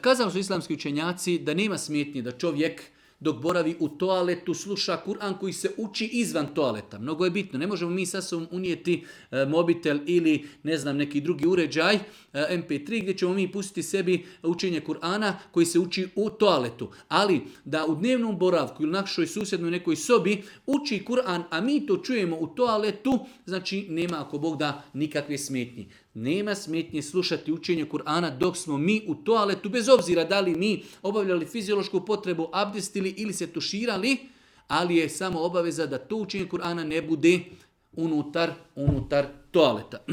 Kazali su islamski učenjaci da nema smetnje da čovjek dok boravi u toaletu sluša Kur'an koji se uči izvan toaleta. Mnogo je bitno. Ne možemo mi sa sobom unijeti mobitel ili ne znam neki drugi uređaj MP3 gdje ćemo mi pustiti sebi učenje Kur'ana koji se uči u toaletu. Ali da u dnevnom boravku ili našoj susjednoj nekoj sobi uči Kur'an, a mi to čujemo u toaletu, znači nema ako Bog da nikakve smetnje. Nema smetnje slušati učenje Kur'ana dok smo mi u toaletu, bez obzira da li mi obavljali fiziološku potrebu, abdestili ili se tuširali, ali je samo obaveza da to učenje Kur'ana ne bude unutar toaleta.